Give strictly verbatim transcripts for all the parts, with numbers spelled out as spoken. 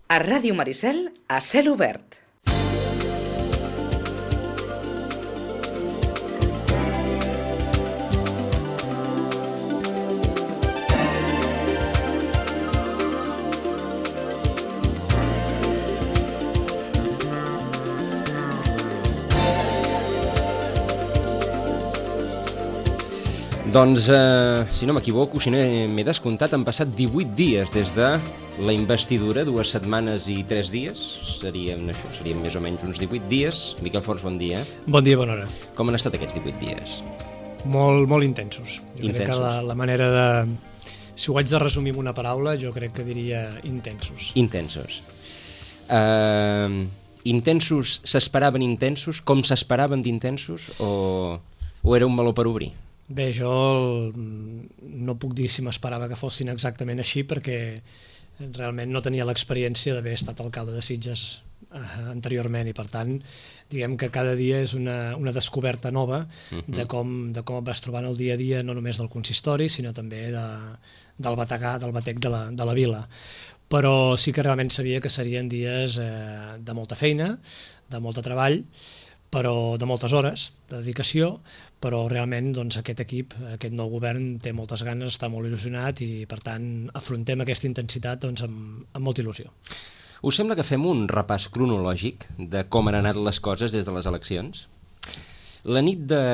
A Ràdio Maricel, a cel obert. Doncs, eh, si no m'equivoco, si no m'he descomptat, han passat divuit dies des de la investidura, dues setmanes i tres dies. Serien això, serien més o menys uns divuit dies. Miquel Forns, bon dia. Bon dia, bona hora. Com han estat aquests divuit dies? Molt, molt intensos. Jo intensos. crec que la, la manera de... Si ho haig de resumir amb una paraula, jo crec que diria intensos. Intensos. Uh, intensos, s'esperaven intensos? Com s'esperaven d'intensos? O, o era un meló per obrir? Bé, jo no puc dir si m'esperava que fossin exactament així perquè realment no tenia l'experiència d'haver estat alcalde de Sitges eh, anteriorment i per tant diguem que cada dia és una, una descoberta nova uh-huh. de, com, de com et vas trobant el dia a dia no només del consistori sinó també de, del bategà, del batec de la, de la vila. Però sí que realment sabia que serien dies eh, de molta feina, de molt de treball, però de moltes hores de dedicació, però realment doncs, aquest equip, aquest nou govern té moltes ganes, està molt il·lusionat i per tant afrontem aquesta intensitat doncs, amb, amb molta il·lusió. Us sembla que fem un repàs cronològic de com han anat les coses des de les eleccions? La nit de,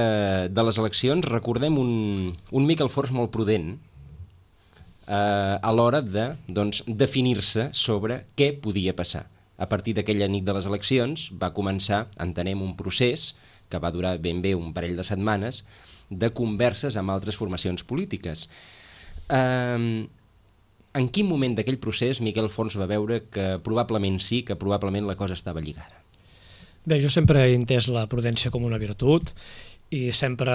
de les eleccions recordem un, un Miquel Forns molt prudent eh, a l'hora de doncs, definir-se sobre què podia passar. A partir d'aquella nit de les eleccions va començar, entenem, un procés que va durar ben bé un parell de setmanes de converses amb altres formacions polítiques. Eh, en quin moment d'aquell procés Miquel Forns va veure que probablement sí, que probablement la cosa estava lligada? Bé, jo sempre he entès la prudència com una virtut i sempre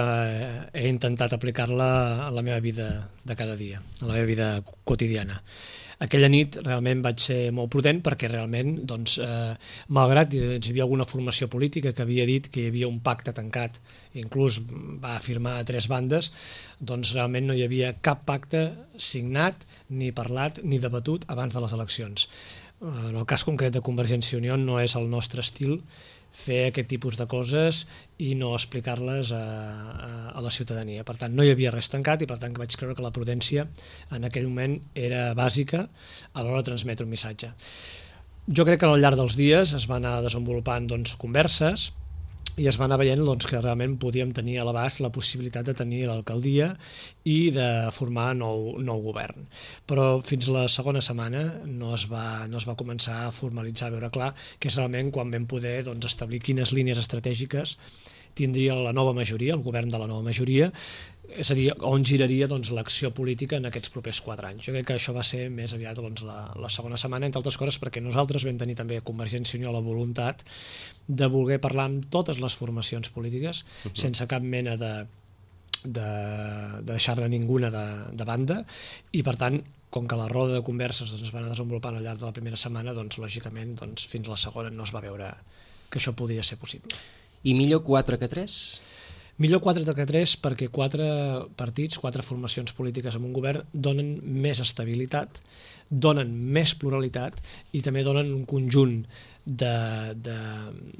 he intentat aplicar-la a la meva vida de cada dia, a la meva vida quotidiana. Aquella nit realment vaig ser molt prudent perquè realment, doncs, eh, malgrat hi havia alguna formació política que havia dit que hi havia un pacte tancat, inclús va afirmar a tres bandes, doncs realment no hi havia cap pacte signat, ni parlat, ni debatut abans de les eleccions. En el cas concret de Convergència i Unió no és el nostre estil fer aquest tipus de coses i no explicar-les a, a, a la ciutadania. Per tant, no hi havia res tancat i per tant vaig creure que la prudència en aquell moment era bàsica a l'hora de transmetre un missatge. Jo crec que al llarg dels dies es van anar desenvolupant doncs, converses i es va anar veient doncs, que realment podíem tenir a l'abast la possibilitat de tenir l'alcaldia i de formar nou, nou govern. Però fins la segona setmana no es va, no es va començar a formalitzar, a veure clar, que és realment quan vam poder doncs, establir quines línies estratègiques tindria la nova majoria, el govern de la nova majoria, és a dir, on giraria doncs, l'acció política en aquests propers quatre anys. Jo crec que això va ser més aviat doncs, la, la segona setmana, entre altres coses perquè nosaltres vam tenir també a Convergència i Unió la voluntat de voler parlar amb totes les formacions polítiques uh-huh. sense cap mena de, de, de deixar-ne ninguna de, de banda i per tant com que la roda de converses doncs, es va anar desenvolupant al llarg de la primera setmana, doncs, lògicament doncs, fins la segona no es va veure que això podia ser possible. I millor quatre que tres? Millor quatre que tres perquè quatre partits, quatre formacions polítiques en un govern donen més estabilitat, donen més pluralitat i també donen un conjunt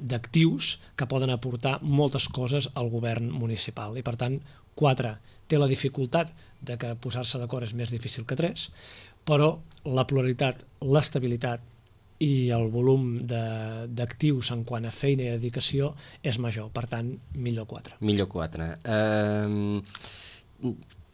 d'actius que poden aportar moltes coses al govern municipal. I per tant, quatre té la dificultat de que posar-se d'acord és més difícil que tres, però la pluralitat, l'estabilitat i el volum d'actius en quant a feina i dedicació és major, per tant, millor quatre. Millor quatre. Uh,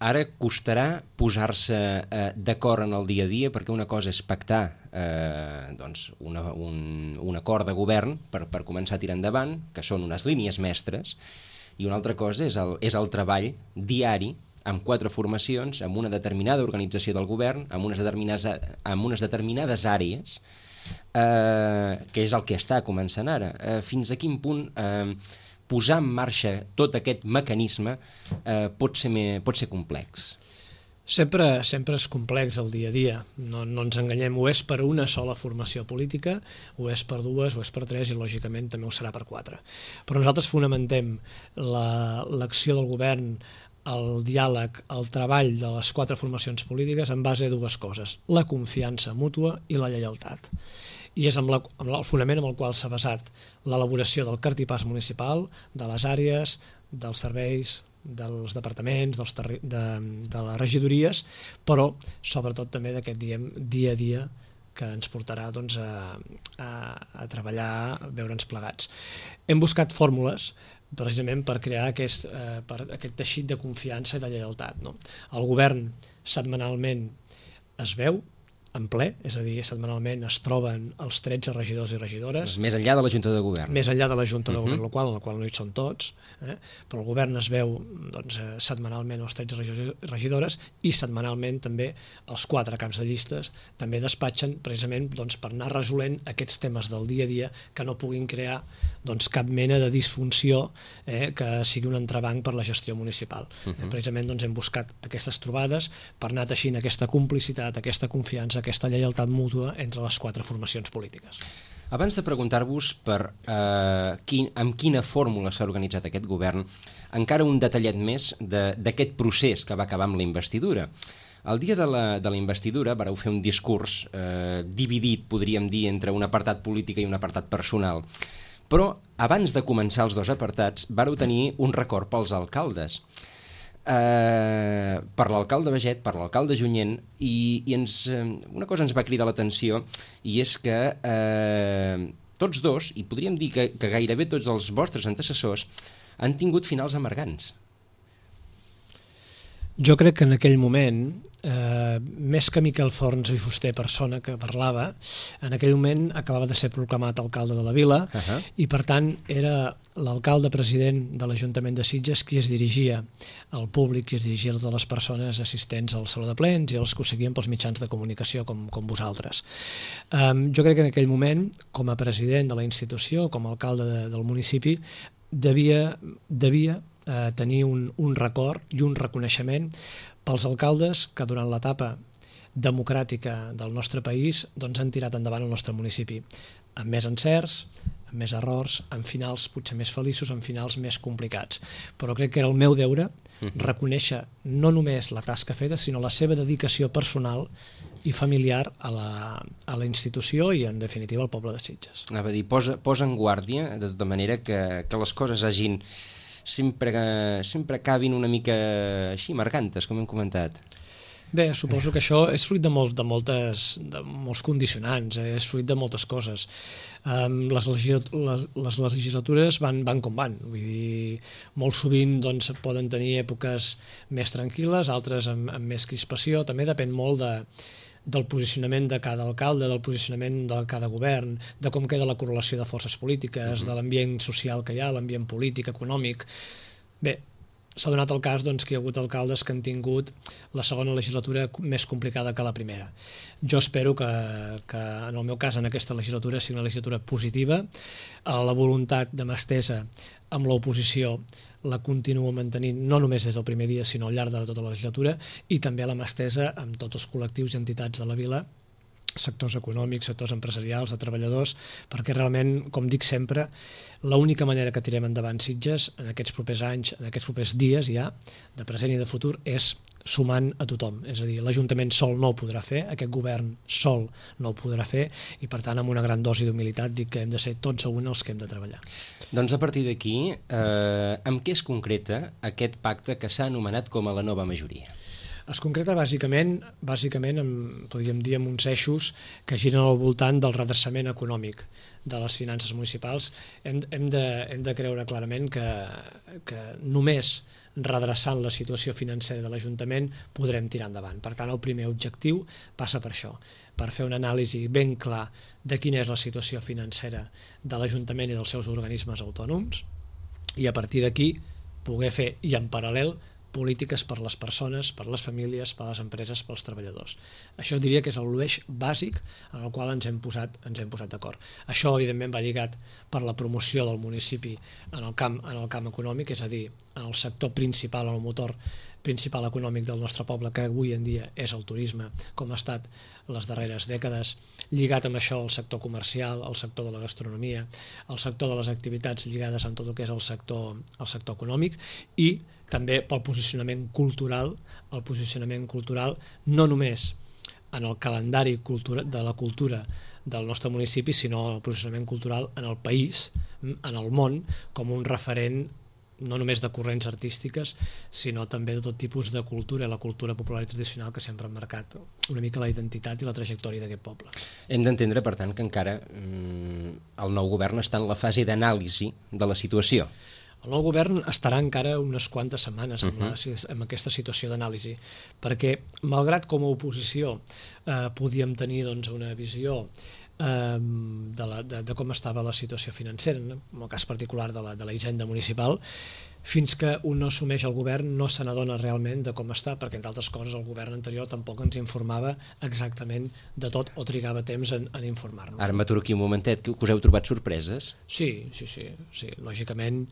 ara costarà posar-se uh, d'acord en el dia a dia, perquè una cosa és pactar uh, doncs una, un, un acord de govern per, per començar a tirar endavant, que són unes línies mestres, i una altra cosa és el, és el treball diari amb quatre formacions, amb una determinada organització del govern, amb unes determinades, amb unes determinades àrees, Uh, que és el que està començant ara. Uh, fins a quin punt uh, posar en marxa tot aquest mecanisme uh, pot ser, me, pot ser complex? Sempre, sempre és complex el dia a dia, no, no ens enganyem, o és per una sola formació política, o és per dues, o és per tres, i lògicament també ho serà per quatre. Però nosaltres fonamentem l'acció del govern el diàleg, el treball de les quatre formacions polítiques en base a dues coses, la confiança mútua i la lleialtat. I és amb, la, amb el fonament amb el qual s'ha basat l'elaboració del cartipàs municipal, de les àrees, dels serveis, dels departaments, dels terri de, de les regidories, però sobretot també d'aquest dia a dia que ens portarà doncs, a, a, a treballar, a veure'ns plegats. Hem buscat fórmules precisament per crear aquest, eh, per aquest teixit de confiança i de lleialtat. No? El govern setmanalment es veu en ple, és a dir, setmanalment es troben els tretze regidors i regidores. Més enllà de la Junta de Govern. Més enllà de la Junta de uh-huh. Govern local, en la qual no hi són tots, eh? Però el govern es veu doncs, setmanalment els tretze regidors i regidores i setmanalment també els quatre caps de llistes també despatxen precisament doncs, per anar resolent aquests temes del dia a dia que no puguin crear doncs, cap mena de disfunció eh, que sigui un entrebanc per la gestió municipal. Uh-huh. eh, precisament doncs, hem buscat aquestes trobades per anar teixint aquesta complicitat, aquesta confiança, aquesta lleialtat mútua entre les quatre formacions polítiques. Abans de preguntar-vos per eh, quin, amb quina fórmula s'ha organitzat aquest govern, encara un detallet més d'aquest procés que va acabar amb la investidura. El dia de la, de la investidura vareu fer un discurs eh, dividit, podríem dir, entre un apartat polític i un apartat personal. Però abans de començar els dos apartats vareu tenir un record pels alcaldes. Uh, per l'alcalde Baget, per l'alcalde Junyent, i, i ens, uh, una cosa ens va cridar l'atenció, i és que uh, tots dos, i podríem dir que, que gairebé tots els vostres antecessors, han tingut finals amargants. Jo crec que en aquell moment, eh, més que Miquel Forns i Fuster, persona que parlava, en aquell moment acabava de ser proclamat alcalde de la vila uh-huh. i per tant era l'alcalde president de l'Ajuntament de Sitges qui es dirigia al públic, qui es dirigia a totes les persones assistents al Saló de Plens i els que ho seguien pels mitjans de comunicació com, com vosaltres. Um, jo crec que en aquell moment, com a president de la institució, com a alcalde de, del municipi, devia, devia eh, tenir un, un record i un reconeixement pels alcaldes que durant l'etapa democràtica del nostre país doncs, han tirat endavant el nostre municipi, amb més encerts, amb més errors, amb finals potser més feliços, amb finals més complicats. Però crec que era el meu deure reconèixer no només la tasca feta, sinó la seva dedicació personal i familiar a la, a la institució i, en definitiva, al poble de Sitges. Anava a dir, posa, posa en guàrdia, de tota manera que, que les coses hagin sempre, sempre acabin una mica així, marcantes, com hem comentat. Bé, suposo que això és fruit de, molt, de, moltes, de molts condicionants, eh? És fruit de moltes coses. Um, les, legislat les, les legislatures van, van com van, vull dir, molt sovint doncs, poden tenir èpoques més tranquil·les, altres amb, amb més crispació, també depèn molt de, del posicionament de cada alcalde, del posicionament de cada govern, de com queda la correlació de forces polítiques, de l'ambient social que hi ha, l'ambient polític, econòmic. Bé, s'ha donat el cas doncs, que hi ha hagut alcaldes que han tingut la segona legislatura més complicada que la primera. Jo espero que, que en el meu cas, en aquesta legislatura, sigui una legislatura positiva. La voluntat de mà estesa amb l'oposició la continuo mantenint no només des del primer dia, sinó al llarg de tota la legislatura, i també la mà estesa amb tots els col·lectius i entitats de la vila, sectors econòmics, sectors empresarials, de treballadors, perquè realment, com dic sempre, l'única manera que tirem endavant Sitges en aquests propers anys, en aquests propers dies ja, de present i de futur, és sumant a tothom. És a dir, l'Ajuntament sol no ho podrà fer, aquest govern sol no ho podrà fer, i per tant, amb una gran dosi d'humilitat, dic que hem de ser tots a un els que hem de treballar. Doncs a partir d'aquí, eh, amb què es concreta aquest pacte que s'ha anomenat com a la nova majoria? Es concreta bàsicament, bàsicament amb, podríem dir, amb uns eixos que giren al voltant del redreçament econòmic de les finances municipals. Hem, hem, de, hem de creure clarament que, que només redreçant la situació financera de l'Ajuntament podrem tirar endavant. Per tant, el primer objectiu passa per això, per fer una anàlisi ben clar de quina és la situació financera de l'Ajuntament i dels seus organismes autònoms i a partir d'aquí poder fer, i en paral·lel, polítiques per les persones, per les famílies, per les empreses, pels treballadors. Això diria que és l'eix bàsic en el qual ens hem posat, ens hem posat d'acord. Això, evidentment, va lligat per la promoció del municipi en el camp, en el camp econòmic, és a dir, en el sector principal, en el motor principal econòmic del nostre poble, que avui en dia és el turisme, com ha estat les darreres dècades, lligat amb això el sector comercial, el sector de la gastronomia, el sector de les activitats lligades amb tot el que és el sector, el sector econòmic, i també pel posicionament cultural, el posicionament cultural no només en el calendari cultura, de la cultura del nostre municipi, sinó el posicionament cultural en el país, en el món, com un referent no només de corrents artístiques, sinó també de tot tipus de cultura, la cultura popular i tradicional que sempre han marcat una mica la identitat i la trajectòria d'aquest poble. Hem d'entendre, per tant, que encara mm, el nou govern està en la fase d'anàlisi de la situació. El nou govern estarà encara unes quantes setmanes amb, la, amb aquesta situació d'anàlisi, perquè malgrat com a oposició eh, podíem tenir doncs, una visió eh, de, la, de, de com estava la situació financera, no? En el cas particular de la, de la hisenda municipal, fins que un no assumeix el govern no se n'adona realment de com està, perquè entre altres coses el govern anterior tampoc ens informava exactament de tot o trigava temps en, en informar-nos. Ara m'aturo aquí un momentet, que us heu trobat sorpreses? Sí, sí, sí, sí. Lògicament,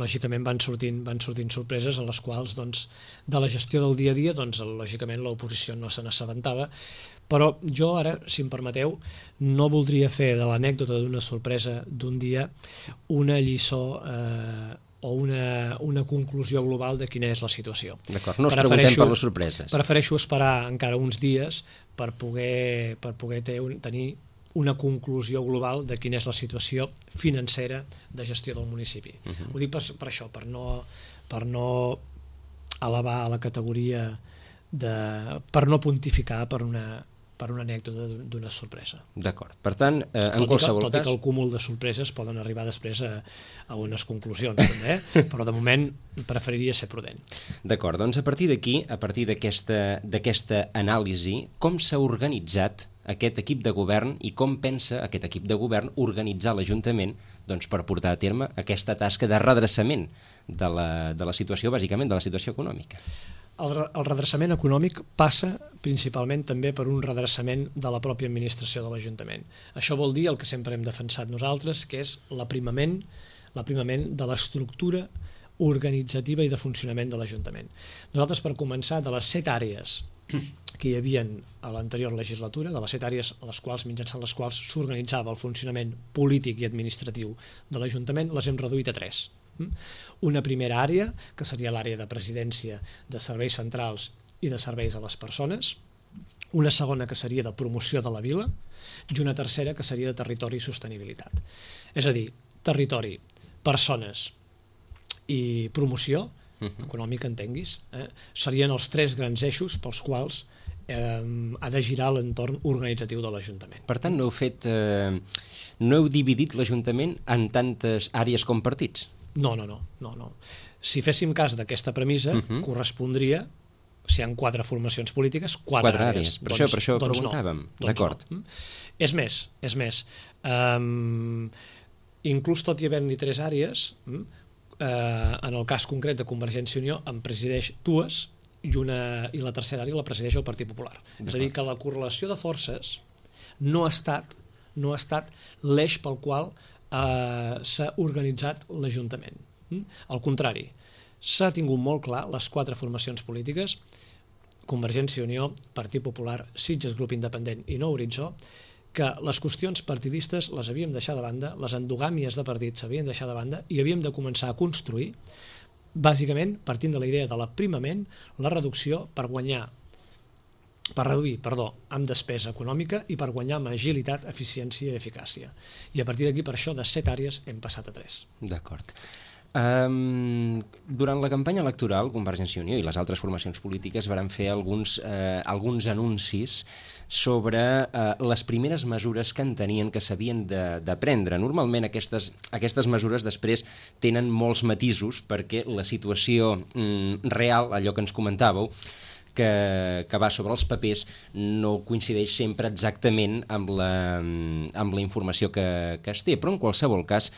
lògicament van sortint, van sortint sorpreses en les quals doncs, de la gestió del dia a dia doncs, lògicament l'oposició no se n'assabentava, però jo ara, si em permeteu, no voldria fer de l'anècdota d'una sorpresa d'un dia una lliçó eh, o una, una conclusió global de quina és la situació. D'acord, no us preguntem per les sorpreses. Prefereixo esperar encara uns dies per poder, per poder ter, tenir una conclusió global de quina és la situació financera de gestió del municipi. Uh-huh. Ho dic per, per això, per no, per no elevar a la categoria de... per no pontificar per una... per una anècdota d'una sorpresa. D'acord. Per tant, eh, en tot qualsevol que, tot cas... Tot i que el cúmul de sorpreses poden arribar després a, a unes conclusions, també, eh? Però de moment preferiria ser prudent. D'acord, doncs a partir d'aquí, a partir d'aquesta d'aquesta anàlisi, com s'ha organitzat aquest equip de govern i com pensa aquest equip de govern organitzar l'Ajuntament doncs, per portar a terme aquesta tasca de redreçament de la, de la situació, bàsicament de la situació econòmica? El, el redreçament econòmic passa principalment també per un redreçament de la pròpia administració de l'Ajuntament. Això vol dir el que sempre hem defensat nosaltres, que és l'aprimament, l'aprimament de l'estructura organitzativa i de funcionament de l'Ajuntament. Nosaltres, per començar, de les set àrees que hi havia a l'anterior legislatura, de les set àrees a les quals, mitjançant les quals s'organitzava el funcionament polític i administratiu de l'Ajuntament, les hem reduït a tres. Una primera àrea, que seria l'àrea de presidència, de serveis centrals i de serveis a les persones, una segona que seria de promoció de la vila i una tercera que seria de territori i sostenibilitat. És a dir, territori, persones i promoció econòmica, entenguis, eh, serien els tres grans eixos pels quals eh, ha de girar l'entorn organitzatiu de l'Ajuntament. Per tant, no heu fet, eh, no heu dividit l'Ajuntament en tantes àrees com partits? No, no, no, no, no. Si féssim cas d'aquesta premissa, uh-huh. correspondria, si hi ha quatre formacions polítiques, quatre, quatre àrees. Per doncs, això, per això doncs preguntàvem. No, D'acord. No. És més, és més. Um, inclús tot i haver-n'hi tres àrees, uh, en el cas concret de Convergència i Unió en presideix dues i, una, i la tercera àrea la presideix el Partit Popular. És a dir, que la correlació de forces no ha estat, no ha estat l'eix pel qual Uh, s'ha organitzat l'Ajuntament. Mm? Al contrari, s'ha tingut molt clar les quatre formacions polítiques, Convergència i Unió, Partit Popular, Sitges Grup Independent i Nou Horitzó, que les qüestions partidistes les havíem deixat de banda, les endogàmies de partits s'havien deixat de banda i havíem de començar a construir, bàsicament partint de la idea de l'aprimament, la reducció per guanyar per reduir, perdó, amb despesa econòmica i per guanyar amb agilitat, eficiència i eficàcia. I a partir d'aquí, per això, de set àrees hem passat a tres. D'acord. Um, durant la campanya electoral, Convergència i Unió i les altres formacions polítiques varen fer alguns, eh, alguns anuncis sobre eh, les primeres mesures que entenien que s'havien de, de prendre. Normalment aquestes, aquestes mesures després tenen molts matisos perquè la situació mm, real, allò que ens comentàveu, Que, que va sobre els papers no coincideix sempre exactament amb la, amb la informació que, que es té, però en qualsevol cas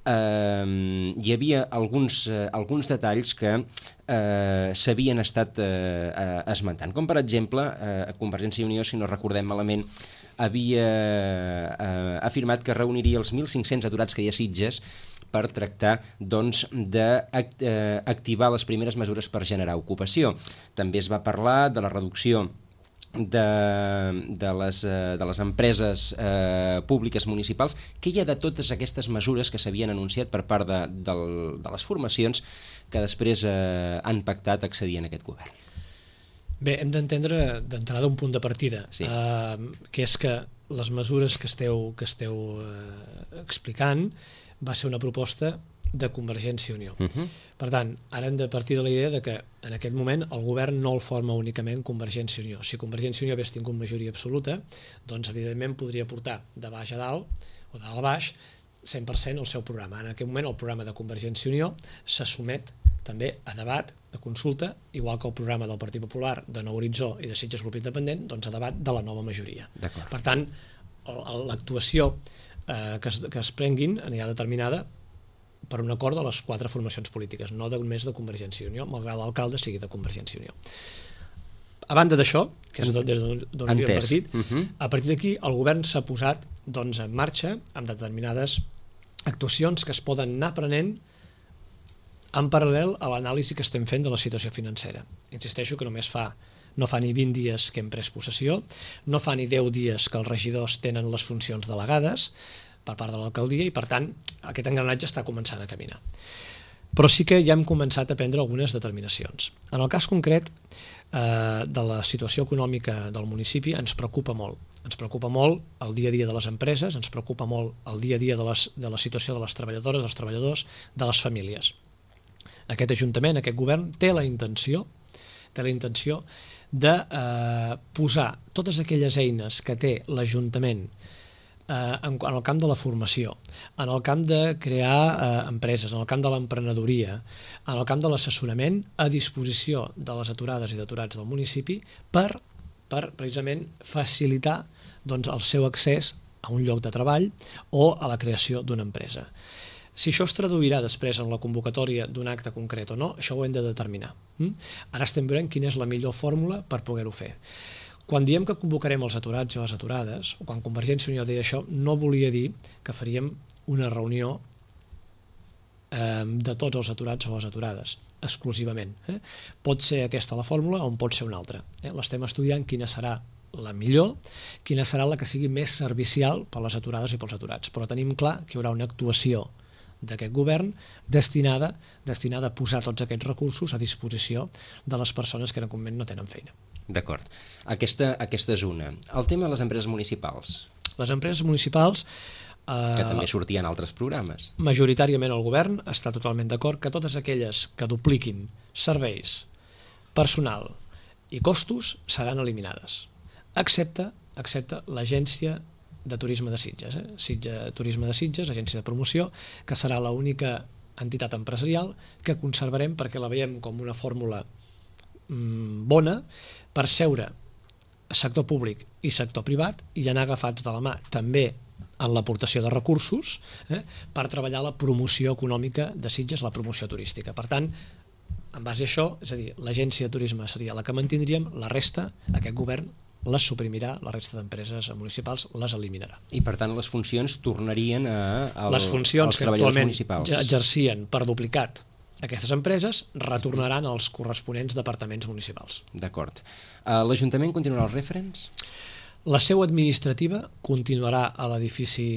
eh, hi havia alguns, eh, alguns detalls que eh, s'havien estat eh, eh, esmentant, com per exemple eh, Convergència i Unió, si no recordem malament, havia eh, afirmat que reuniria els mil cinc-cents aturats que hi ha a Sitges per tractar doncs, d'activar les primeres mesures per generar ocupació. També es va parlar de la reducció de, de, les, eh, de les empreses eh, públiques municipals, què hi ha de totes aquestes mesures que s'havien anunciat per part de, de, de les formacions que després eh, han pactat accedir en aquest govern? Bé, hem d'entendre d'entrada un punt de partida, sí. eh, que és que les mesures que esteu, que esteu eh, explicant va ser una proposta de Convergència i Unió. Uh -huh. Per tant, ara hem de partir de la idea de que en aquest moment el govern no el forma únicament Convergència i Unió. Si Convergència i Unió hagués tingut majoria absoluta, doncs evidentment podria portar de baix a dalt o de dalt a baix cent per cent el seu programa. En aquest moment el programa de Convergència i Unió se somet també a debat, a consulta, igual que el programa del Partit Popular, de Nou Horitzó i de Sitges Grup Independent, doncs a debat de la nova majoria. Per tant, l'actuació eh, que, es, que es prenguin anirà determinada per un acord de les quatre formacions polítiques, no només de Convergència i Unió, malgrat l'alcalde sigui de Convergència i Unió. A banda d'això, que és des d'on havia partit, uh -huh. a partir d'aquí el govern s'ha posat doncs, en marxa amb determinades actuacions que es poden anar prenent en paral·lel a l'anàlisi que estem fent de la situació financera. Insisteixo que només fa no fa ni vint dies que hem pres possessió, no fa ni deu dies que els regidors tenen les funcions delegades per part de l'alcaldia i, per tant, aquest engranatge està començant a caminar. Però sí que ja hem començat a prendre algunes determinacions. En el cas concret eh, de la situació econòmica del municipi ens preocupa molt. Ens preocupa molt el dia a dia de les empreses, ens preocupa molt el dia a dia de, les, de la situació de les treballadores, dels treballadors, de les famílies. Aquest Ajuntament, aquest govern, té la intenció, té la intenció de eh, posar totes aquelles eines que té l'Ajuntament eh, en, en el camp de la formació, en el camp de crear eh, empreses, en el camp de l'emprenedoria, en el camp de l'assessorament, a disposició de les aturades i d'aturats del municipi per, per precisament facilitar doncs, el seu accés a un lloc de treball o a la creació d'una empresa. Si això es traduirà després en la convocatòria d'un acte concret o no, això ho hem de determinar. Ara estem veient quina és la millor fórmula per poder-ho fer. Quan diem que convocarem els aturats i les aturades, o quan Convergència i Unió deia això, no volia dir que faríem una reunió eh, de tots els aturats o les aturades, exclusivament. Eh? Pot ser aquesta la fórmula o en pot ser una altra. Eh? L'estem estudiant quina serà la millor, quina serà la que sigui més servicial per les aturades i pels aturats. Però tenim clar que hi haurà una actuació d'aquest govern destinada, destinada a posar tots aquests recursos a disposició de les persones que en aquest moment no tenen feina. D'acord. Aquesta, aquesta és una. El tema de les empreses municipals. Les empreses municipals... Eh, que també sortien altres programes. Majoritàriament el govern està totalment d'acord que totes aquelles que dupliquin serveis, personal i costos seran eliminades, excepte, excepte l'agència de turisme de Sitges, eh? Sitges, Turisme de Sitges, agència de promoció, que serà l'única entitat empresarial que conservarem perquè la veiem com una fórmula mm, bona per seure sector públic i sector privat i anar agafats de la mà també en l'aportació de recursos eh, per treballar la promoció econòmica de Sitges, la promoció turística. Per tant, en base a això, és a dir, l'agència de turisme seria la que mantindríem, la resta, aquest govern les suprimirà, la resta d'empreses municipals les eliminarà. I per tant les funcions tornarien a, a les funcions als que treballadors actualment municipals. Exercien per duplicat aquestes empreses retornaran als corresponents departaments municipals. D'acord. Uh, L'Ajuntament continuarà els referents? La seu administrativa continuarà a l'edifici,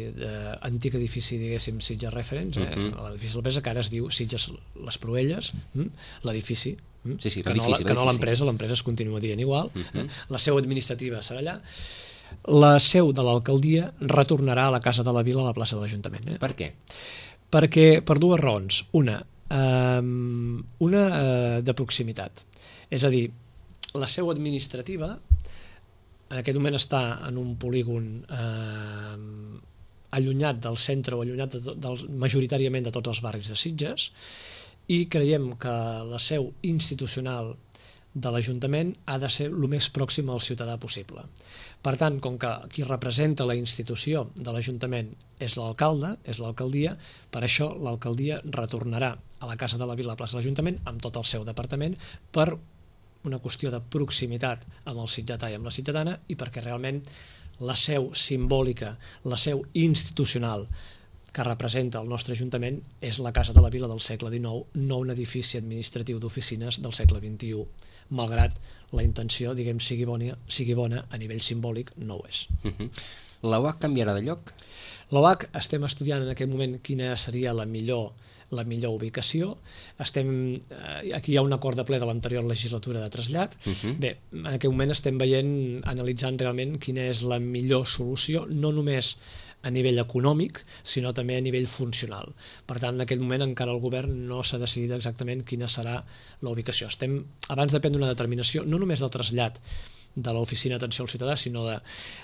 eh, antic edifici, diguéssim, Sitges Referents, eh, uh-huh. a l'edifici de l'empresa, que ara es diu Sitges Les Proelles, hm? l'edifici, hm? sí, sí, que no, que no l'empresa, l'empresa es continua dient igual, uh-huh. eh? La seu administrativa serà allà, la seu de l'alcaldia retornarà a la Casa de la Vila a la plaça de l'Ajuntament. Eh? Per què? Perquè, per dues raons. Una, eh, una eh, de proximitat. És a dir, la seu administrativa en aquest moment està en un polígon eh, allunyat del centre o allunyat de, del, majoritàriament de tots els barris de Sitges i creiem que la seu institucional de l'Ajuntament ha de ser el més pròxim al ciutadà possible. Per tant, com que qui representa la institució de l'Ajuntament és l'alcalde, és l'alcaldia, per això l'alcaldia retornarà a la Casa de la Vila, a la plaça de l'Ajuntament, amb tot el seu departament, per una qüestió de proximitat amb el sitgetà i amb la sitgetana i perquè realment la seu simbòlica, la seu institucional que representa el nostre Ajuntament és la Casa de la Vila del segle dinou, no un edifici administratiu d'oficines del segle vint-i-u malgrat la intenció, diguem, sigui bona, sigui bona a nivell simbòlic, no ho és. Uh-huh. La U A C canviarà de lloc? La U A C estem estudiant en aquest moment quina seria la millor la millor ubicació. Estem, eh, aquí hi ha un acord de ple de l'anterior legislatura de trasllat. Uh-huh. Bé, en aquest moment estem veient, analitzant realment quina és la millor solució, no només a nivell econòmic, sinó també a nivell funcional. Per tant, en aquest moment encara el govern no s'ha decidit exactament quina serà la ubicació. Estem, abans de prendre una determinació, no només del trasllat de l'Oficina d'Atenció al Ciutadà, sinó de,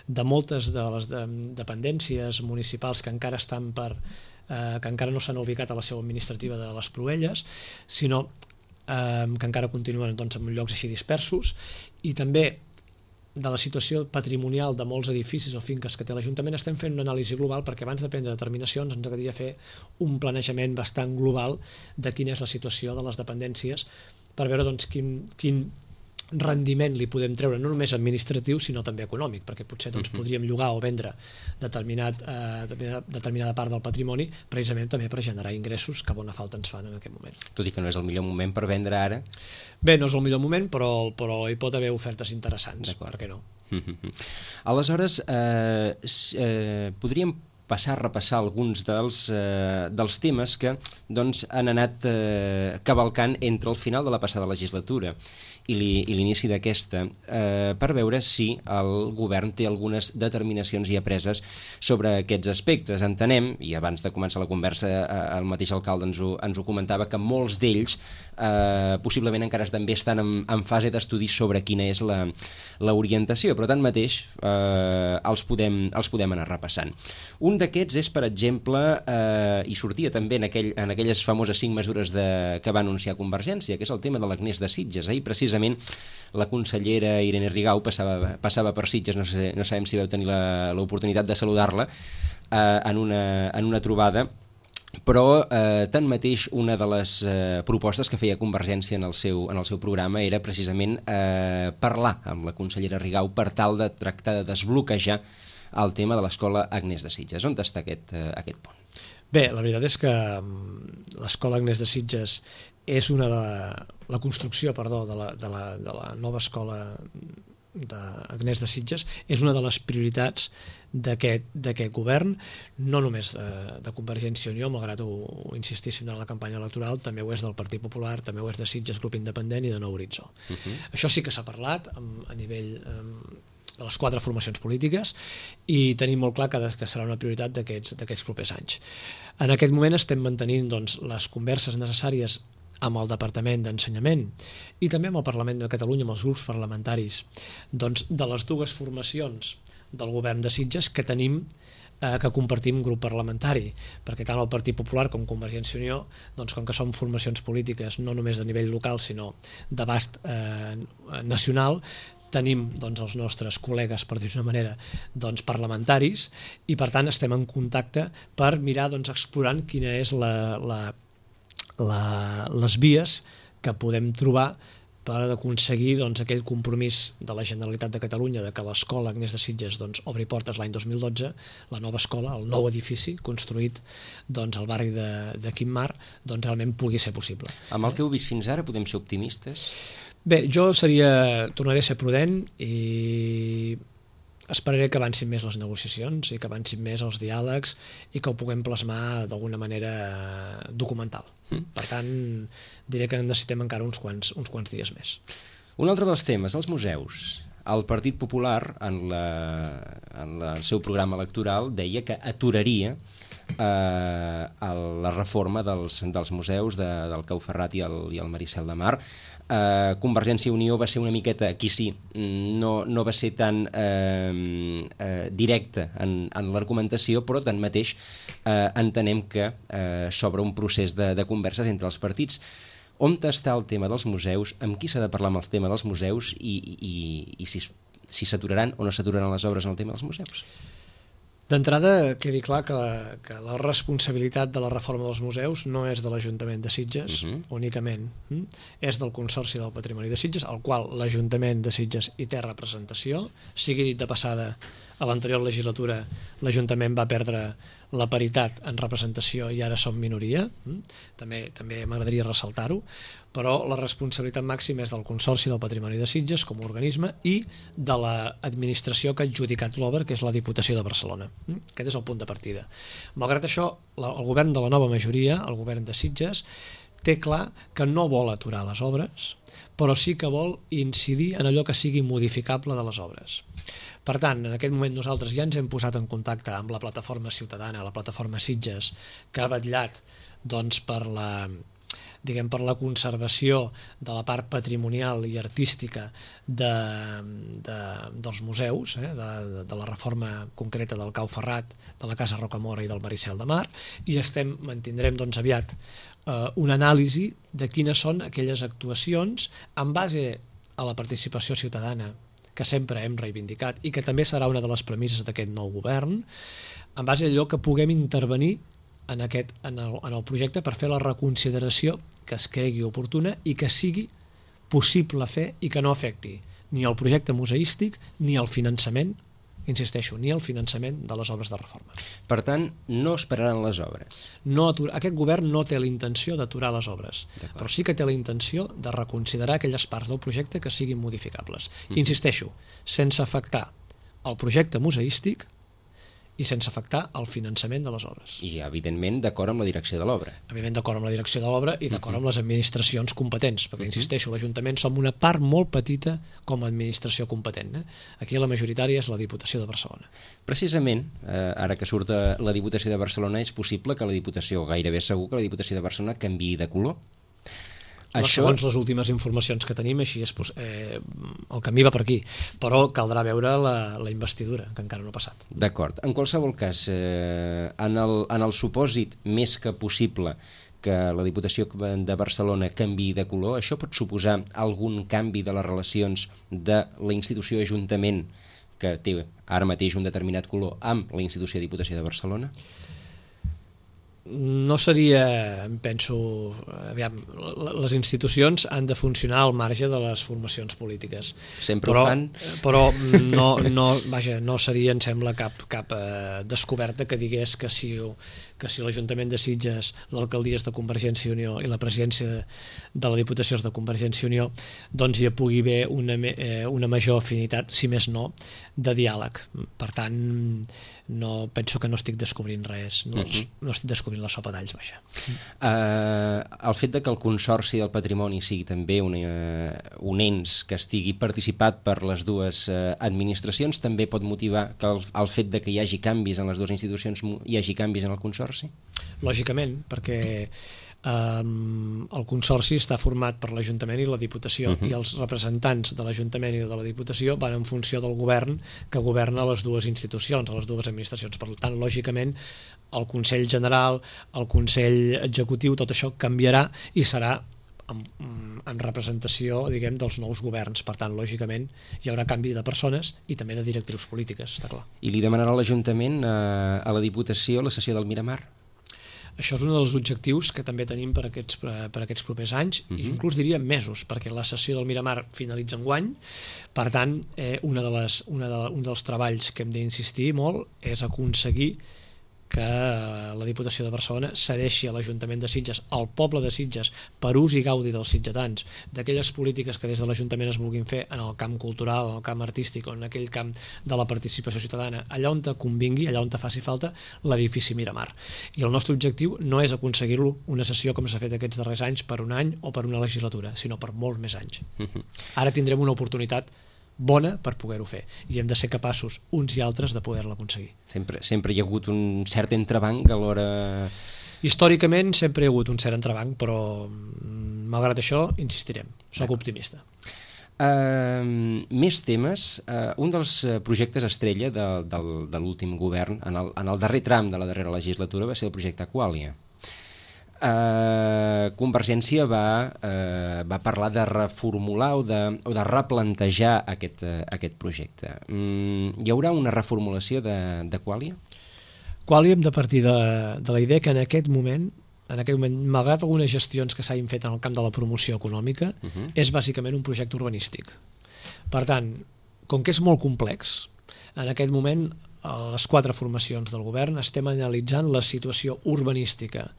de moltes de les de, dependències municipals que encara estan per Eh, que encara no s'han ubicat a la seu administrativa de les Proelles, sinó eh, que encara continuen doncs, en llocs així dispersos, i també de la situació patrimonial de molts edificis o finques que té l'Ajuntament. Estem fent una anàlisi global perquè abans de prendre determinacions ens agradaria fer un planejament bastant global de quina és la situació de les dependències per veure doncs, quin, quin rendiment li podem treure, no només administratiu sinó també econòmic, perquè potser doncs, podríem llogar o vendre determinat, eh, determinada part del patrimoni precisament també per generar ingressos que bona falta ens fan en aquest moment. Tot i que no és el millor moment per vendre ara? Bé, no és el millor moment, però, però hi pot haver ofertes interessants, per què no? Aleshores, eh, eh, podríem passar a repassar alguns dels, eh, dels temes que doncs, han anat eh, cavalcant entre el final de la passada legislatura i l'inici d'aquesta, eh, per veure si el govern té algunes determinacions ja preses sobre aquests aspectes. Entenem, i abans de començar la conversa eh, el mateix alcalde ens ho, ens ho comentava, que molts d'ells eh, possiblement encara també estan en, en fase d'estudi sobre quina és la, la orientació, però tanmateix eh, els, podem, els podem anar repassant. Un d'aquests és, per exemple, eh, i sortia també en, aquell, en aquelles famoses cinc mesures de, que va anunciar Convergència, que és el tema de l'Agnès de Sitges. Ahir precisament la consellera Irene Rigau passava, passava per Sitges, no, sé, no sabem si veu tenir l'oportunitat de saludar-la eh, en, una, en una trobada, però eh, tanmateix una de les eh, propostes que feia Convergència en el seu, en el seu programa era precisament eh, parlar amb la consellera Rigau per tal de tractar de desbloquejar el tema de l'escola Agnès de Sitges. On està aquest, eh, aquest punt? Bé, la veritat és que l'escola Agnès de Sitges és una de la construcció, perdó, de la, de la, de la nova escola d'Agnès de Sitges és una de les prioritats d'aquest govern, no només de, de Convergència i Unió, malgrat ho, ho insistíssim en la campanya electoral, també ho és del Partit Popular, també ho és de Sitges Grup Independent i de Nou Horitzó. Uh-huh. Això sí que s'ha parlat amb, a nivell amb, de les quatre formacions polítiques i tenim molt clar que, que serà una prioritat d'aquests propers anys. En aquest moment estem mantenint doncs, les converses necessàries amb el Departament d'Ensenyament i també amb el Parlament de Catalunya, amb els grups parlamentaris, doncs, de les dues formacions del govern de Sitges que tenim, eh, que compartim grup parlamentari, perquè tant el Partit Popular com Convergència i Unió, doncs, com que són formacions polítiques no només de nivell local sinó d'abast eh, nacional, tenim doncs, els nostres col·legues, per dir-ho d'una manera, doncs, parlamentaris, i per tant estem en contacte per mirar doncs, explorant quina és la, la La, les vies que podem trobar per aconseguir doncs, aquell compromís de la Generalitat de Catalunya de que l'escola Agnès de Sitges doncs, obri portes l'any dos mil dotze, la nova escola, el nou edifici construït doncs, al barri de, de Quim-Mar, doncs, realment pugui ser possible. Amb el que heu vist fins ara podem ser optimistes? Bé, jo seria, tornaré a ser prudent i esperaré que avancin més les negociacions i que avancin més els diàlegs i que ho puguem plasmar d'alguna manera documental. Mm. Per tant, diré que necessitem encara uns quants, uns quants dies més. Un altre dels temes, els museus. El Partit Popular, en, la, en la, el seu programa electoral, deia que aturaria eh, la reforma dels, dels museus de, del Cau Ferrat i el, i el Maricel de Mar. Eh, Convergència i Unió va ser una miqueta, aquí sí, no, no va ser tan eh, eh, directa en, en l'argumentació, però tanmateix eh, entenem que eh, s'obre un procés de, de converses entre els partits. On està el tema dels museus, amb qui s'ha de parlar amb el tema dels museus i, i, i si, si s'aturaran o no s'aturaran les obres en el tema dels museus? D'entrada, quedi clar que, que la responsabilitat de la reforma dels museus no és de l'Ajuntament de Sitges, uh-huh. únicament. Hm? És del Consorci del Patrimoni de Sitges, al qual l'Ajuntament de Sitges hi té representació. Sigui dit de passada, a l'anterior legislatura l'Ajuntament va perdre la paritat en representació i ara som minoria, també, també m'agradaria ressaltar-ho, però la responsabilitat màxima és del Consorci del Patrimoni de Sitges com a organisme i de l'administració que ha adjudicat l'obra, que és la Diputació de Barcelona. Aquest és el punt de partida. Malgrat això, el govern de la nova majoria, el govern de Sitges, té clar que no vol aturar les obres, però sí que vol incidir en allò que sigui modificable de les obres. Per tant, en aquest moment nosaltres ja ens hem posat en contacte amb la plataforma ciutadana, la plataforma Sitges, que ha vetllat doncs, per la diguem, per la conservació de la part patrimonial i artística de, de, dels museus, eh, de, de la reforma concreta del Cau Ferrat, de la Casa Rocamora i del Maricel de Mar, i estem, mantindrem doncs, aviat eh, una anàlisi de quines són aquelles actuacions en base a la participació ciutadana que sempre hem reivindicat i que també serà una de les premisses d'aquest nou govern, en base a allò que puguem intervenir en, aquest, en, el, en el projecte per fer la reconsideració que es cregui oportuna i que sigui possible fer i que no afecti ni el projecte museístic ni el finançament, insisteixo, ni el finançament de les obres de reforma. Per tant, no esperaran les obres. No atura, aquest govern no té la intenció d'aturar les obres, però sí que té la intenció de reconsiderar aquelles parts del projecte que siguin modificables. Mm-hmm. Insisteixo, sense afectar el projecte museístic i sense afectar el finançament de les obres. I, evidentment, d'acord amb la direcció de l'obra. Evidentment, d'acord amb la direcció de l'obra i d'acord amb les administracions competents, perquè, insisteixo, l'Ajuntament som una part molt petita com a administració competent. Eh? Aquí la majoritària és la Diputació de Barcelona. Precisament, eh, ara que surt la Diputació de Barcelona, és possible que la Diputació, gairebé segur que la Diputació de Barcelona canviï de color. Això... Segons les últimes informacions que tenim, així és, eh, el camí va per aquí, però caldrà veure la, la investidura, que encara no ha passat. D'acord. En qualsevol cas, eh, en, el, en el supòsit més que possible que la Diputació de Barcelona canviï de color, això pot suposar algun canvi de les relacions de la institució Ajuntament, que té ara mateix un determinat color, amb la institució Diputació de Barcelona? No seria, penso, aviam, les institucions han de funcionar al marge de les formacions polítiques. Sempre però, ho fan. Però no, no, vaja, no seria, em sembla, cap, cap eh, descoberta que digués que si, que si l'Ajuntament de Sitges, l'alcaldia és de Convergència i Unió i la presidència de la Diputació és de Convergència i Unió, doncs hi pugui haver una, eh, una major afinitat, si més no, de diàleg. Per tant, no, penso que no estic descobrint res, no, uh-huh. no estic descobrint la sopa d'alls, vaja. Uh, el fet de que el Consorci del Patrimoni sigui també un, uh, un ens que estigui participat per les dues uh, administracions també pot motivar que el, el fet de que hi hagi canvis en les dues institucions hi hagi canvis en el Consorci? Lògicament, perquè Um, el Consorci està format per l'Ajuntament i la Diputació, uh-huh. i els representants de l'Ajuntament i de la Diputació van en funció del govern que governa les dues institucions, les dues administracions. Per tant, lògicament, el Consell General, el Consell Executiu, tot això canviarà i serà en, en representació, diguem, dels nous governs. Per tant, lògicament, hi haurà canvi de persones i també de directrius polítiques, està clar. I li demanarà l'Ajuntament a, a la Diputació la cessió del Miramar? Això és un dels objectius que també tenim per aquests, per aquests propers anys, uh-huh. i inclús diria mesos, perquè la sessió del Miramar finalitza enguany. Per tant, eh, una de les, una de, un dels treballs que hem d'insistir molt és aconseguir que la Diputació de Barcelona cedeixi a l'Ajuntament de Sitges, al poble de Sitges, per ús i gaudi dels sitgetans, d'aquelles polítiques que des de l'Ajuntament es vulguin fer en el camp cultural, en el camp artístic o en aquell camp de la participació ciutadana, allà on te convingui, allà on te faci falta, l'edifici Miramar. I el nostre objectiu no és aconseguir-lo una sessió com s'ha fet aquests darrers anys per un any o per una legislatura, sinó per molts més anys. Ara tindrem una oportunitat bona per poder-ho fer, i hem de ser capaços uns i altres de poder-la aconseguir. Sempre, sempre hi ha hagut un cert entrebanc a l'hora... Històricament sempre hi ha hagut un cert entrebanc, però malgrat això insistirem, soc optimista. Uh, més temes. Uh, un dels projectes estrella de, de, de l'últim govern en el, en el darrer tram de la darrera legislatura va ser el projecte Aquàlia. Uh, Convergència va, uh, va parlar de reformular o de, o de replantejar aquest, uh, aquest projecte. Mm, hi haurà una reformulació de, de Quàlia? Quàlia hem de partir de, de la idea que en aquest moment, en aquest moment, malgrat algunes gestions que s'hagin fet en el camp de la promoció econòmica, uh-huh. és bàsicament un projecte urbanístic. Per tant, com que és molt complex, En aquest moment, a les quatre formacions del govern estem analitzant la situació urbanística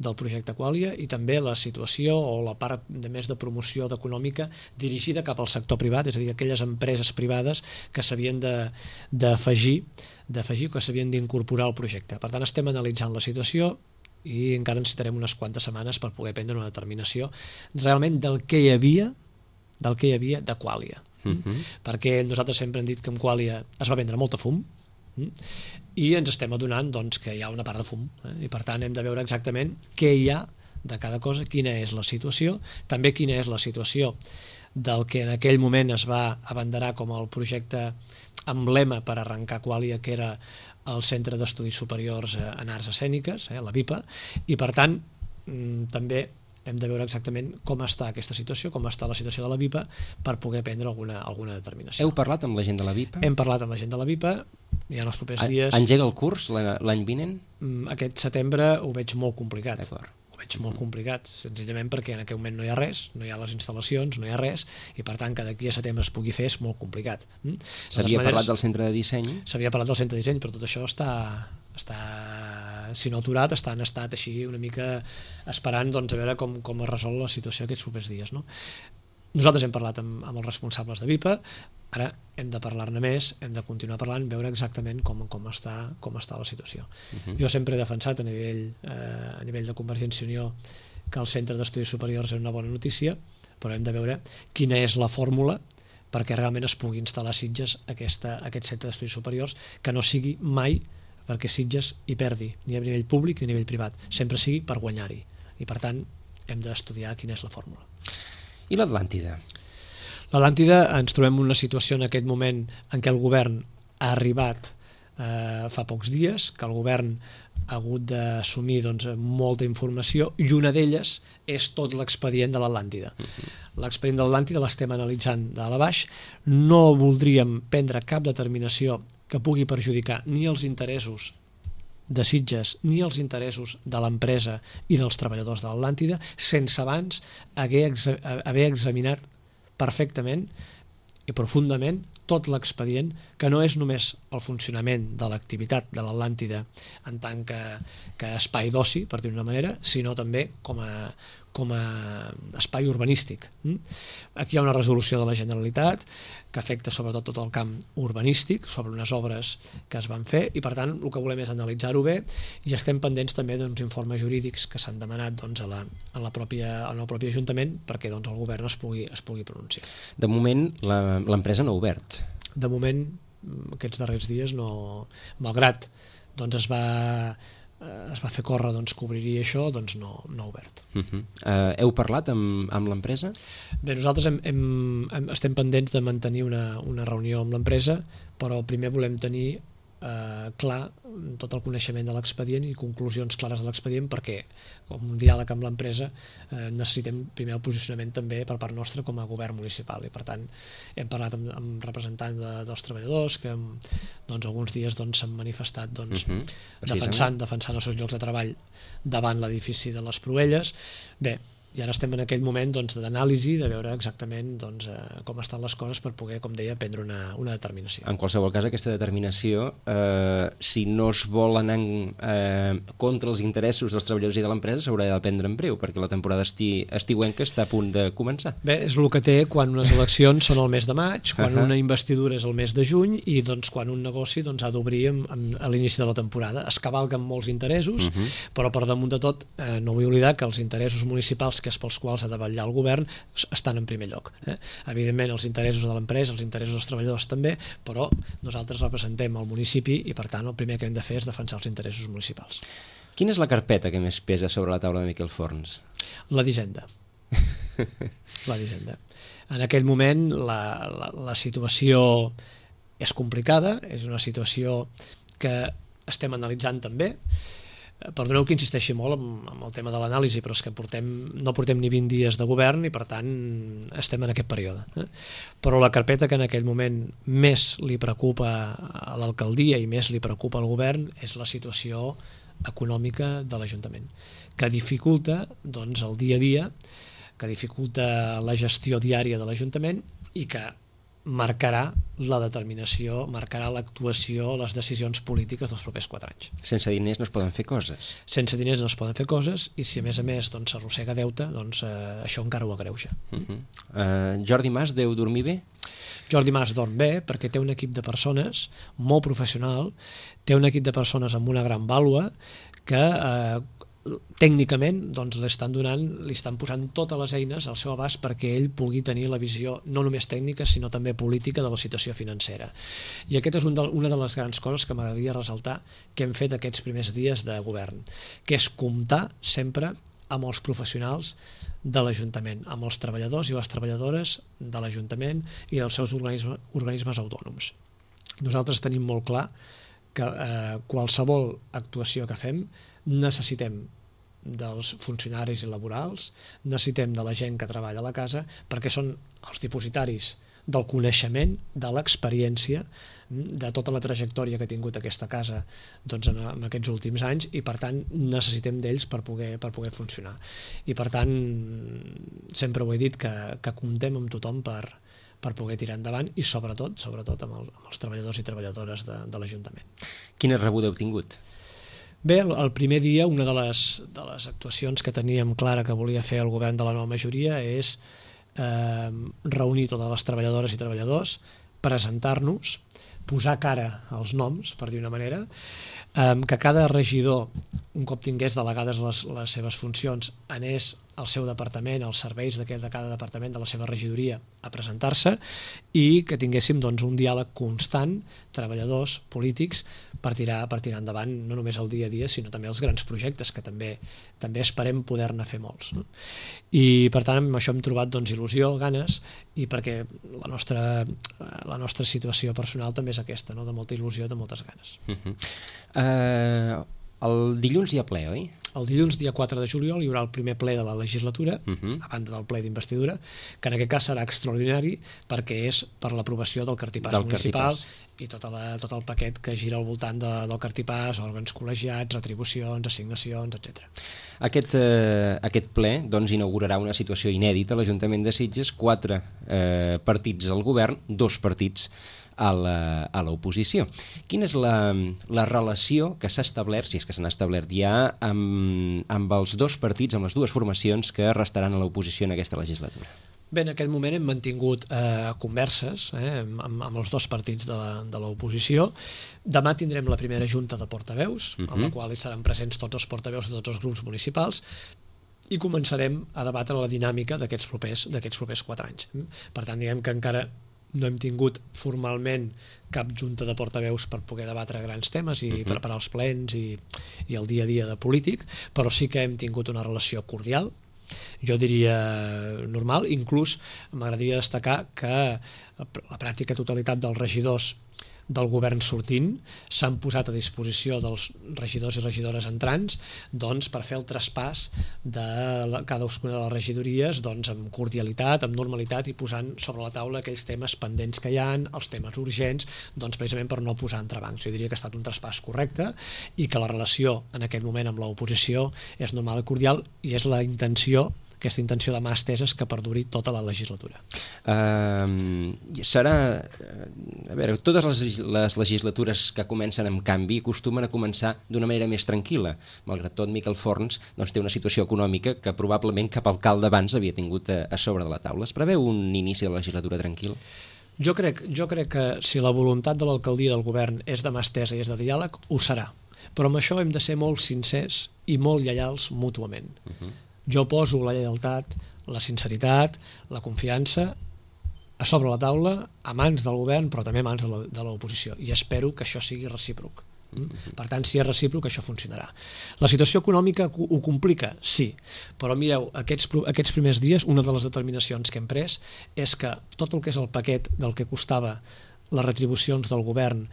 del projecte Qualia i també la situació o la part de més de promoció econòmica dirigida cap al sector privat, és a dir, aquelles empreses privades que s'havien d'afegir d'afegir que s'havien d'incorporar al projecte. Per tant, estem analitzant la situació i encara necessitarem unes quantes setmanes per poder prendre una determinació realment del que hi havia del que hi havia de Qualia. Uh-huh. Perquè nosaltres sempre hem dit que amb Qualia es va vendre molta fum i ens estem adonant doncs, que hi ha una part de fum, eh? I per tant hem de veure exactament què hi ha de cada cosa, quina és la situació, també quina és la situació del que en aquell moment es va abanderar com el projecte emblema per arrencar Qualia, que era el Centre d'Estudis Superiors en Arts Escèniques, eh, la VIPA, i per tant també hem de veure exactament com està aquesta situació, com està la situació de la VIPA per poder prendre alguna, alguna determinació. Heu parlat amb la gent de la VIPA? Hem parlat amb la gent de la VIPA, i en els propers dies... Engega el curs l'any vinent? Aquest setembre ho veig molt complicat. D'acord. Ho veig molt complicat, senzillament perquè en aquell moment no hi ha res, no hi ha les instal·lacions, no hi ha res, i per tant que d'aquí a setembre es pugui fer és molt complicat. S'havia parlat del centre de disseny? S'havia parlat del centre de disseny, però tot això està, està si no aturat, està en estat així una mica esperant doncs, a veure com, com es resol la situació aquests propers dies. No? Nosaltres hem parlat amb, amb els responsables de VIPA, ara hem de parlar-ne més, hem de continuar parlant, veure exactament com, com, està, com està la situació. Uh-huh. Jo sempre he defensat a nivell, eh, a nivell de Convergència i Unió que el Centre d'Estudis Superiors és una bona notícia, però hem de veure quina és la fórmula perquè realment es pugui instal·lar a Sitges aquesta, aquest Centre d'Estudis Superiors, que no sigui mai perquè Sitges hi perdi, ni a nivell públic ni a nivell privat, sempre sigui per guanyar-hi. I per tant hem d'estudiar quina és la fórmula. I l'Atlàntida? L'Atlàntida ens trobem en una situació en aquest moment en què el govern ha arribat eh, fa pocs dies, que el govern ha hagut d'assumir doncs, molta informació i una d'elles és tot l'expedient de l'Atlàntida. Uh-huh. L'expedient de l'Atlàntida l'estem analitzant de dalt a baix, no voldríem prendre cap determinació que pugui perjudicar ni els interessos de Sitges ni els interessos de l'empresa i dels treballadors de l'Atlàntida sense abans haver, exa haver examinat perfectament i profundament tot l'expedient, que no és només el funcionament de l'activitat de l'Atlàntida en tant que, que espai d'oci, per dir-ho d'una manera, sinó també com a, com a espai urbanístic. Aquí hi ha una resolució de la Generalitat que afecta sobretot tot el camp urbanístic sobre unes obres que es van fer i per tant el que volem és analitzar-ho bé i estem pendents també d'uns informes jurídics que s'han demanat doncs, a la, a la pròpia, en el propi Ajuntament perquè doncs, el govern es pugui, es pugui pronunciar. De moment l'empresa no ha obert. De moment, aquests darrers dies, no, malgrat doncs es va es va fer córrer doncs, que obriria això, doncs no, no ha obert. Uh -huh. uh, heu parlat amb, amb l'empresa? Bé, nosaltres hem, hem, hem, estem pendents de mantenir una, una reunió amb l'empresa, però primer volem tenir eh, clar tot el coneixement de l'expedient i conclusions clares de l'expedient perquè com un diàleg amb l'empresa eh, necessitem primer el posicionament també per part nostra com a govern municipal i per tant hem parlat amb, amb representants de, dels treballadors que doncs, alguns dies doncs, s'han manifestat doncs, uh-huh. defensant, defensant els seus llocs de treball davant l'edifici de les Proelles. Bé, i ara estem en aquell moment doncs, d'anàlisi, de veure exactament doncs, eh, com estan les coses per poder, com deia, prendre una, una determinació. En qualsevol cas, aquesta determinació, eh, si no es vol anar eh, contra els interessos dels treballadors i de l'empresa, s'haurà de prendre en breu, perquè la temporada esti estiuenca està a punt de començar. Bé, és el que té quan unes eleccions són el mes de maig, quan uh-huh. una investidura és el mes de juny i doncs, quan un negoci doncs, ha d'obrir a l'inici de la temporada. Es cavalquen molts interessos, uh-huh. però per damunt de tot eh, no vull oblidar que els interessos municipals que és pels quals ha de vetllar el govern estan en primer lloc. Eh? Evidentment els interessos de l'empresa, els interessos dels treballadors també, però nosaltres representem el municipi i per tant el primer que hem de fer és defensar els interessos municipals. Quina és la carpeta que més pesa sobre la taula de Miquel Forns? La d'Hisenda. La d'Hisenda. En aquell moment la, la, la situació és complicada, és una situació que estem analitzant també. Perdoneu que insisteixi molt amb, amb el tema de l'anàlisi, però és que portem, no portem ni vint dies de govern i per tant estem en aquest període. Eh? Però la carpeta que en aquell moment més li preocupa a l'alcaldia i més li preocupa al govern és la situació econòmica de l'Ajuntament, que dificulta doncs, el dia a dia, que dificulta la gestió diària de l'Ajuntament i que marcarà la determinació, marcarà l'actuació, les decisions polítiques dels propers quatre anys. Sense diners no es poden fer coses. Sense diners no es poden fer coses i si a més a més doncs, s'arrossega deute, doncs eh, això encara ho agreuja. Uh -huh. uh, Jordi Mas deu dormir bé? Jordi Mas dorm bé perquè té un equip de persones molt professional, té un equip de persones amb una gran vàlua que eh, tècnicament doncs, li estan donant, li estan posant totes les eines al seu abast perquè ell pugui tenir la visió no només tècnica sinó també política de la situació financera. I aquesta és un de, una de les grans coses que m'agradaria ressaltar que hem fet aquests primers dies de govern, que és comptar sempre amb els professionals de l'Ajuntament, amb els treballadors i les treballadores de l'Ajuntament i dels seus organismes, organismes autònoms. Nosaltres tenim molt clar que eh, qualsevol actuació que fem necessitem dels funcionaris i laborals, necessitem de la gent que treballa a la casa perquè són els dipositaris del coneixement, de l'experiència, de tota la trajectòria que ha tingut aquesta casa doncs, en, en aquests últims anys i per tant necessitem d'ells per poder, per poder funcionar. I per tant sempre ho he dit que, que comptem amb tothom per, per poder tirar endavant i sobretot sobretot amb, el, amb els treballadors i treballadores de, de l'Ajuntament. Quina rebuda heu tingut? Bé, el, el primer dia una de les, de les actuacions que teníem clara que volia fer el govern de la nova majoria és eh, reunir totes les treballadores i treballadors, presentar-nos, posar cara als noms, per dir una manera, eh, que cada regidor, un cop tingués delegades les, les seves funcions, anés al seu departament, als serveis de cada departament de la seva regidoria a presentar-se i que tinguéssim doncs, un diàleg constant, treballadors, polítics, per tirar, per tirar endavant no només el dia a dia, sinó també els grans projectes, que també també esperem poder-ne fer molts. No? I per tant amb això hem trobat doncs, il·lusió, ganes, i perquè la nostra, la nostra situació personal també és aquesta, no? De molta il·lusió, de moltes ganes. Uh-huh. uh, el dilluns hi ha ple, oi? El dilluns, dia quatre de juliol, hi haurà el primer ple de la legislatura, uh-huh. a banda del ple d'investidura, que en aquest cas serà extraordinari perquè és per l'aprovació del cartipàs del municipal cartipàs. I tota la, tot el paquet que gira al voltant de, del cartipàs, òrgans col·legiats, retribucions, assignacions, etcètera. Aquest, eh, aquest ple doncs, inaugurarà una situació inèdita a l'Ajuntament de Sitges, quatre eh, partits al govern, dos partits a l'oposició. Quina és la, la relació que s'ha establert, si és que s'han establert ja, amb, amb els dos partits, amb les dues formacions que restaran a l'oposició en aquesta legislatura? Bé, en aquest moment hem mantingut eh, converses eh, amb, amb els dos partits de l'oposició. Demà tindrem la primera junta de portaveus, uh-huh. en la qual hi seran presents tots els portaveus de tots els grups municipals, i començarem a debatre la dinàmica d'aquests propers, d'aquests propers quatre anys. Per tant, diguem que encara no hem tingut formalment cap junta de portaveus per poder debatre grans temes i uh-huh. preparar els plens i, i el dia a dia de polític, però sí que hem tingut una relació cordial, jo diria normal. Inclús m'agradaria destacar que la pràctica totalitat dels regidors del govern sortint s'han posat a disposició dels regidors i regidores entrants doncs, per fer el traspàs de la, cadascuna de les regidories doncs, amb cordialitat, amb normalitat i posant sobre la taula aquells temes pendents que hi ha, els temes urgents, doncs, precisament per no posar entrebancs. Jo diria que ha estat un traspàs correcte i que la relació en aquest moment amb l'oposició és normal i cordial i és la intenció aquesta intenció de mà esteses que perduri tota la legislatura. Uh, serà... A veure, totes les, les legislatures que comencen amb canvi acostumen a començar d'una manera més tranquil·la. Malgrat tot, Miquel Forns doncs, té una situació econòmica que probablement cap alcalde abans havia tingut a, a sobre de la taula. Es preveu un inici de la legislatura tranquil? Jo crec, jo crec que si la voluntat de l'alcaldia del govern és de mà estesa i és de diàleg, ho serà. Però amb això hem de ser molt sincers i molt lleials mútuament. Uh-huh. Jo poso la lleialtat, la sinceritat, la confiança a sobre la taula, a mans del govern, però també a mans de l'oposició. I espero que això sigui recíproc. Per tant, si és recíproc, això funcionarà. La situació econòmica ho complica? Sí. Però mireu, aquests, aquests primers dies, una de les determinacions que hem pres és que tot el que és el paquet del que costava les retribucions del govern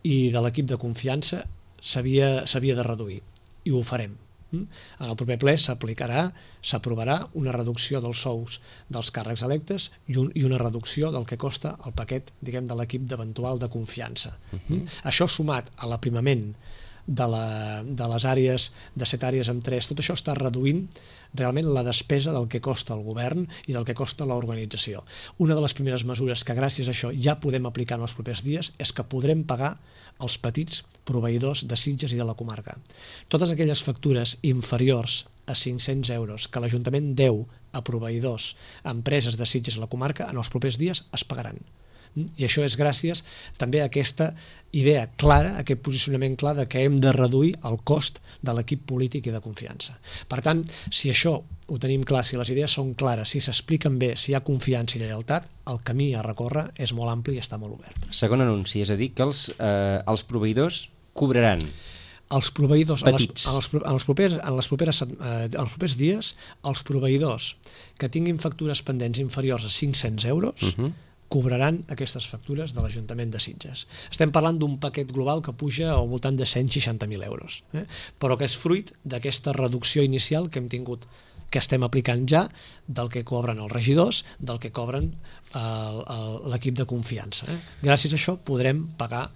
i de l'equip de confiança s'havia de reduir. I ho farem. En el proper ple s'aplicarà, s'aprovarà una reducció dels sous dels càrrecs electes i, un, i una reducció del que costa el paquet, diguem, de l'equip d'eventual de confiança. Uh-huh. Això sumat a l'aprimament de, la, de les àrees, de set àrees amb tres, tot això està reduint realment la despesa del que costa el govern i del que costa l'organització. Una de les primeres mesures que gràcies a això ja podem aplicar en els propers dies és que podrem pagar els petits proveïdors de Sitges i de la comarca. Totes aquelles factures inferiors a cinc-cents euros que l'Ajuntament deu a proveïdors, a empreses de Sitges i la comarca, en els propers dies es pagaran. I això és gràcies també a aquesta idea clara, a aquest posicionament clar de que hem de reduir el cost de l'equip polític i de confiança. Per tant, si això ho tenim clar, si les idees són clares, si s'expliquen bé, si hi ha confiança i lleialtat, el camí a recórrer és molt ampli i està molt obert. Segon anunci, és a dir, que els, eh, els proveïdors cobraran. Els proveïdors, en les, petits. en, els, en, els propers, en, les properes, eh, en els propers dies, els proveïdors que tinguin factures pendents inferiors a cinc-cents euros, uh-huh. cobraran aquestes factures de l'Ajuntament de Sitges. Estem parlant d'un paquet global que puja al voltant de cent seixanta mil euros, eh? però que és fruit d'aquesta reducció inicial que hem tingut, que estem aplicant ja, del que cobren els regidors, del que cobren l'equip de confiança. Eh? Gràcies a això podrem pagar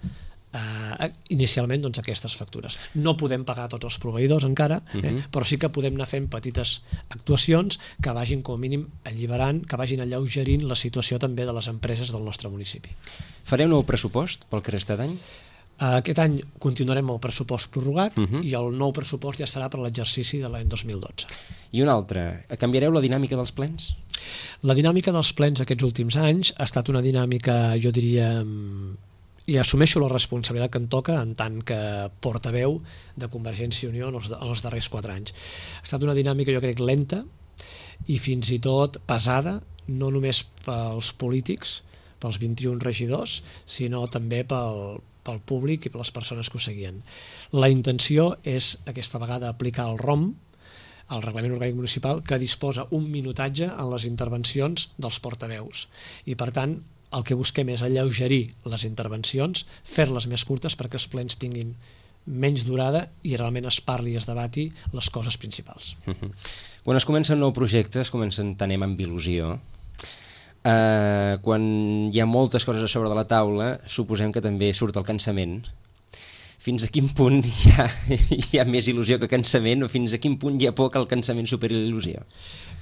Uh, inicialment doncs, aquestes factures. No podem pagar tots els proveïdors encara, eh? uh-huh. però sí que podem anar fent petites actuacions que vagin com a mínim alliberant, que vagin alleugerint la situació també de les empreses del nostre municipi. Fareu nou pressupost pel que resta d'any? Uh, aquest any continuarem el pressupost prorrogat uh-huh. i el nou pressupost ja serà per l'exercici de l'any dos mil dotze. I un altre, canviareu la dinàmica dels plens? La dinàmica dels plens aquests últims anys ha estat una dinàmica, jo diria, i assumeixo la responsabilitat que em toca en tant que portaveu de Convergència i Unió en els, en els darrers quatre anys. Ha estat una dinàmica, jo crec, lenta i fins i tot pesada, no només pels polítics, pels vint-i-un regidors, sinó també pel, pel públic i per les persones que ho seguien. La intenció és aquesta vegada aplicar el R O M, el Reglament Orgànic Municipal, que disposa un minutatge en les intervencions dels portaveus. I per tant, el que busquem és alleugerir les intervencions, fer-les més curtes perquè els plens tinguin menys durada i realment es parli i es debati les coses principals. Uh-huh. Quan es comença un nou projecte es comença a entenem amb il·lusió. Uh, quan hi ha moltes coses a sobre de la taula, suposem que també surt el cansament. Fins a quin punt hi ha, hi ha més il·lusió que cansament o fins a quin punt hi ha por que el cansament superi l'il·lusió?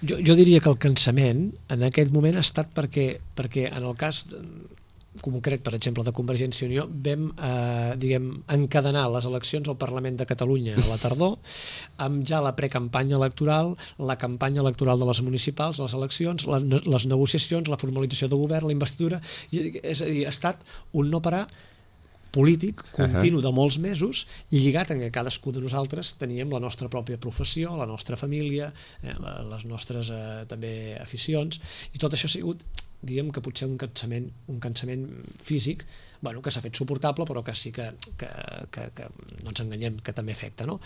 Jo, jo diria que el cansament en aquest moment ha estat perquè, perquè en el cas concret, per exemple, de Convergència i Unió, vam eh, diguem, encadenar les eleccions al Parlament de Catalunya a la tardor, amb ja la precampanya electoral, la campanya electoral de les municipals, les eleccions, les, les negociacions, la formalització de govern, la investidura, i, és a dir, ha estat un no parar polític continu de molts mesos, lligat en què cadascú de nosaltres teníem la nostra pròpia professió, la nostra família, eh, les nostres eh, també aficions, i tot això ha sigut, diguem que potser un cansament, un cansament físic, bueno, que s'ha fet suportable, però que sí que, que, que, que no ens enganyem, que també afecta, no?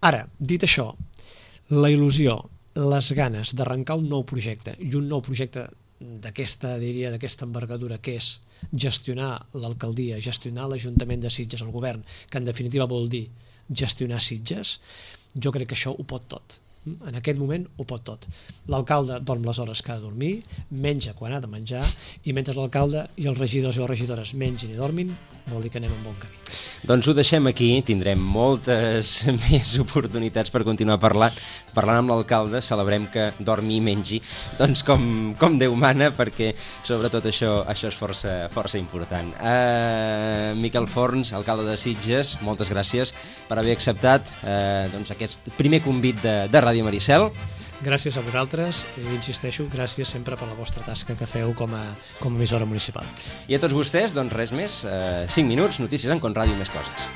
Ara, dit això, la il·lusió, les ganes d'arrencar un nou projecte, i un nou projecte d'aquesta, diria, d'aquesta envergadura, que és gestionar l'alcaldia, gestionar l'Ajuntament de Sitges, el govern, que en definitiva vol dir gestionar Sitges, jo crec que això ho pot tot. En aquest moment ho pot tot. L'alcalde dorm les hores que ha de dormir, menja quan ha de menjar, i mentre l'alcalde i els regidors i les regidores mengin i dormin, vol dir que anem en bon camí. Doncs ho deixem aquí, tindrem moltes més oportunitats per continuar parlant, parlant amb l'alcalde, celebrem que dormi i mengi, doncs com, com Déu mana, perquè sobretot això, això és força, força important. Uh, Miquel Forns, alcalde de Sitges, moltes gràcies per haver acceptat uh, doncs aquest primer convit de, de Ràdio Maricel. Gràcies a vosaltres i insisteixo, gràcies sempre per la vostra tasca que feu com a, com a emissora municipal. I a tots vostès, doncs res més, eh, cinc minuts, notícies en Conràdio i més coses.